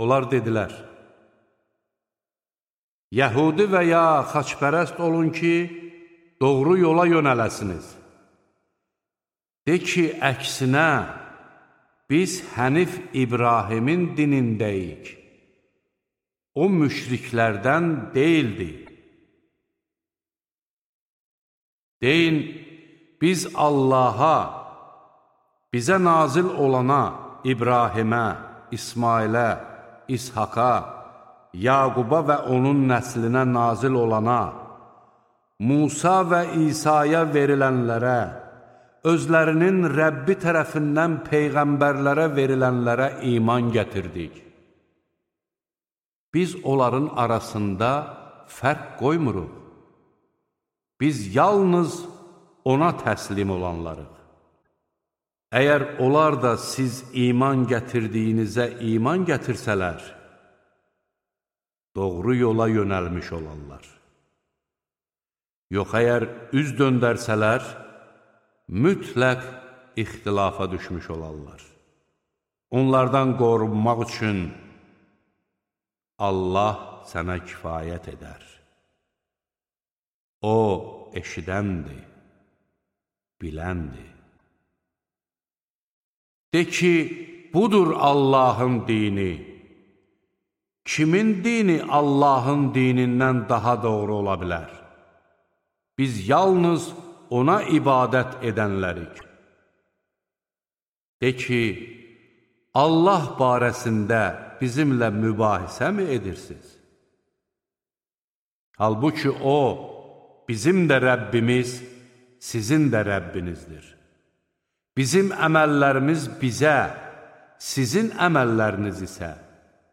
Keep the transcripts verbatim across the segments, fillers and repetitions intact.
Onlar dedilər, Yəhudi və ya xaçpərəst olun ki, doğru yola yönələsiniz. De ki, əksinə, biz Hənif İbrahimin dinindəyik. O müşriklərdən deyildi. Deyin, biz Allaha, bizə nazil olana, İbrahimə, İsmailə, İshaqa, Yaquba və onun nəslinə nazil olana, Musa və İsa'ya verilənlərə, özlərinin Rəbbi tərəfindən peyğəmbərlərə verilənlərə iman gətirdik. Biz onların arasında fərq qoymuruq. Biz yalnız ona təslim olanlarıq. Əgər onlar da siz iman gətirdiyinizə iman gətirsələr, doğru yola yönəlmiş olarlar. Yox, əgər üz döndərsələr, mütləq ixtilafa düşmüş olarlar. Onlardan qorunmaq üçün Allah sənə kifayət edər. O, eşidəndir, biləndir. De ki, budur Allahın dini. Kimin dini Allahın dinindən daha doğru ola bilər? Biz yalnız ona ibadət edənlərik. De ki, Allah barəsində bizimlə mübahisə mi edirsiniz? Halbuki O, bizim də Rəbbimiz, sizin də Rəbbinizdir. Bizim əməllərimiz bizə, sizin əməlləriniz isə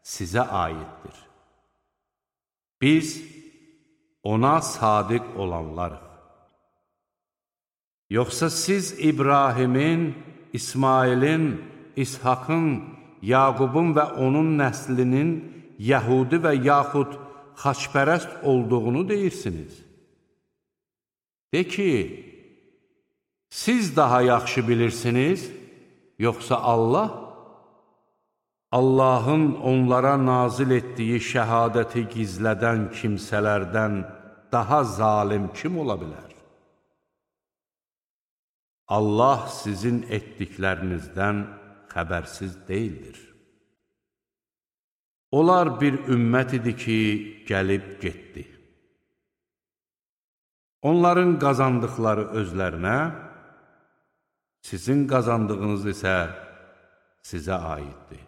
sizə aiddir. Biz ona sadiq olanlarıq. Yoxsa siz İbrahimin, İsmailin, İshakın, Yaqubun və onun nəslinin Yəhudi və yaxud xaçpərəst olduğunu deyirsiniz. De ki, siz daha yaxşı bilirsiniz, yoxsa Allah? Allahın onlara nazil etdiyi şəhadəti gizlədən kimsələrdən daha zalim kim ola bilər? Allah sizin etdiklərinizdən xəbərsiz deyildir. Onlar bir ümmət idi ki, gəlib getdi. Onların qazandıqları özlərinə, sizin qazandığınız isə sizə aiddir.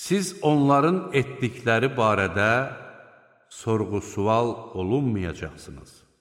Siz onların etdikləri barədə sorğu-sual olunmayacaqsınız.